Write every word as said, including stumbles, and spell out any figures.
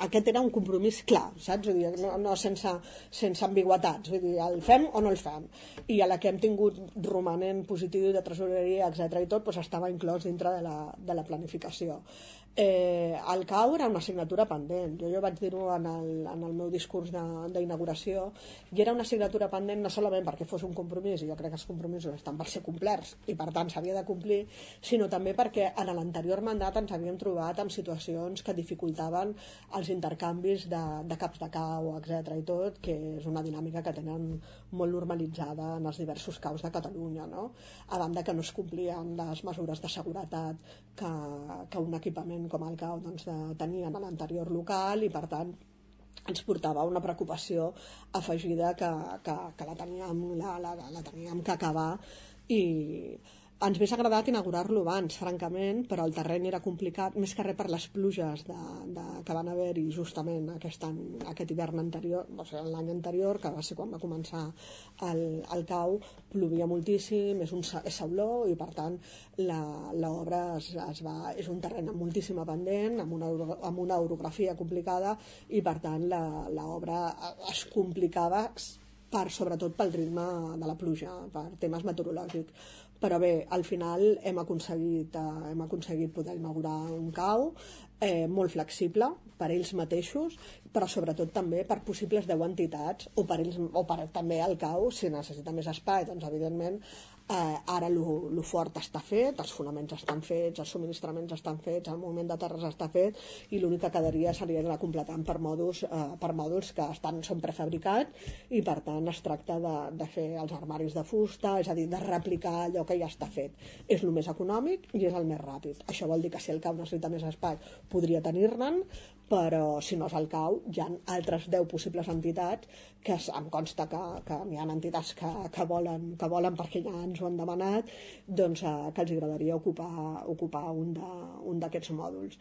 aquest era un compromís clar, saps? Vull dir, no, no sense, sense ambigüetats, vull dir, el fem o no el fem. I a la que hem tingut romanent positiu de tresoreria, etcètera i tot, doncs estava inclòs dintre de la, de la planificació. Eh, el C A U era una assignatura pendent. Jo, jo vaig dir-ho en, el, en el meu discurs d'inauguració, i era una assignatura pendent no solament perquè fos un compromís, i jo crec que els compromisos estan per ser complerts i per tant s'havia de complir, sinó també perquè en l'anterior mandat ens havíem trobat en situacions que dificultaven els intercanvis de, de caps de C A U, etcètera i tot, que és una dinàmica que tenen molt normalitzada en els diversos C A Us de Catalunya, no? A banda que no es complien les mesures de seguretat que, que un equipament com el C A U doncs, de, tenien a l'anterior local, i per tant ens portava una preocupació afegida que, que, que la, teníem, la, la, la teníem que acabar, i ens hauria agradat inaugurar-lo abans, francament, però el terreny era complicat, més que res per les pluges de, de, que van haver-hi justament aquest, any, aquest hivern anterior, o sigui, l'any anterior, que va ser quan va començar el, el C A U, plovia moltíssim, és, un, és sauló, i per tant l'obra es, es va, és un terreny amb moltíssima pendent, amb una, amb una orografia complicada, i per tant l'obra es complicava per, sobretot pel ritme de la pluja, per temes meteorològics. Però bé, al final hem aconseguit, eh, hem aconseguit poder inaugurar un C A U eh, molt flexible per ells mateixos, però sobretot també per possibles deu entitats, o per, ells, o per també el C A U, si necessita més espai, doncs evidentment eh, ara el fort està fet, els fonaments estan fets, els subministraments estan fets, el moviment de terres està fet, i l'únic que quedaria seria anar completant per mòduls, eh, per mòduls que estan, són prefabricats, i per tant es tracta de, de fer els armaris de fusta, és a dir, de replicar allò que ja està fet. És el més econòmic i és el més ràpid. Això vol dir que si el C A U necessita més espai podria tenir-ne'n, però si no és el C A U hi ha altres deu possibles entitats que em consta que, que hi ha entitats que, que, volen, que volen, perquè ja ens ho han demanat, doncs, eh, que els agradaria ocupar, ocupar un d'aquests mòduls.